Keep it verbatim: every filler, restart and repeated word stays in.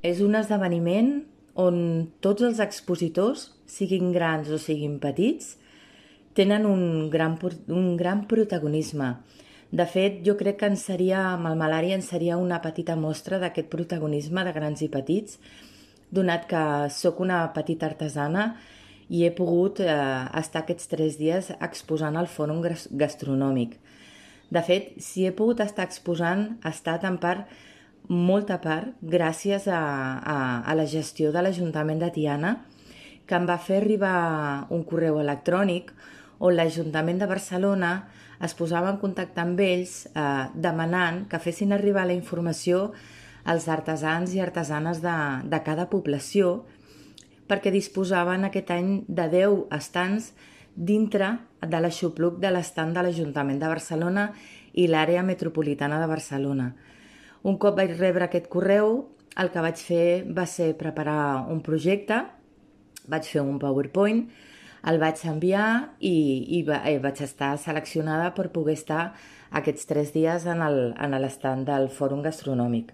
És un esdeveniment on tots els expositors, siguin grans o siguin petits, tenen un gran, un gran protagonisme. De fet, jo crec que en seria, amb el Malària en seria una petita mostra d'aquest protagonisme de grans i petits, donat que sóc una petita artesana i he pogut eh, estar aquests tres dies exposant al Fòrum Gastronòmic. De fet, si he pogut estar exposant, ha estat en part, molta part, gràcies a, a, a la gestió de l'Ajuntament de Tiana, que em va fer arribar un correu electrònic on l'Ajuntament de Barcelona es posava en contacte amb ells eh, demanant que fessin arribar la informació als artesans i artesanes de, de cada població, perquè disposaven aquest any de deu estants dintre de l'aixopluc de l'estant de l'Ajuntament de Barcelona i l'àrea metropolitana de Barcelona. Un cop vaig rebre aquest correu, el que vaig fer va ser preparar un projecte, vaig fer un PowerPoint, el vaig enviar i, i va, eh, vaig estar seleccionada per poder estar aquests tres dies en l'estant del Fòrum Gastronòmic.